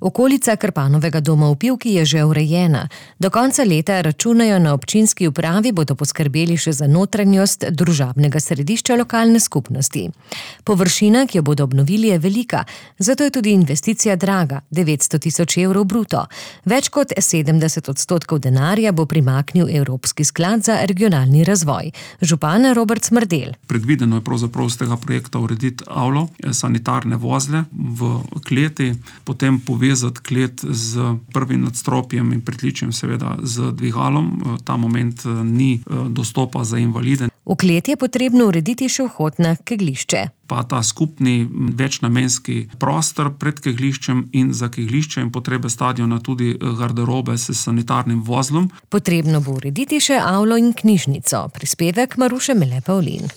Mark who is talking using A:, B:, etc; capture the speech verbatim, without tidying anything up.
A: Okolica Krpanovega doma v Pivki je že urejena. Do konca leta računajo na občinski upravi, bodo poskrbeli še za notranjost družabnega središča lokalne skupnosti. Površina, ki jo bodo obnovili, je velika, zato je tudi investicija draga, devetsto tisoč evrov bruto. Več kot sedemdeset odstotkov denarja bo primaknil Evropski sklad za regionalni razvoj. Župan Robert Smrdelj.
B: Predvideno je pravzaprav z tega projekta urediti avlo, sanitarne vozle v kleti, potem povezati klet z prvim nadstropjem in pritličjem, seveda z dvigalom. Ta moment ni dostopa za invalide.
A: V klet je potrebno urediti še vhod na kegljišče.
B: Pa ta skupni večnamenski prostor pred kegljiščem in za kegljišče in potrebe stadiona tudi garderobe s sanitarnim vozlom.
A: Potrebno bo urediti še avlo in knjižnico. Prispevek Maruše Mele Pavlin.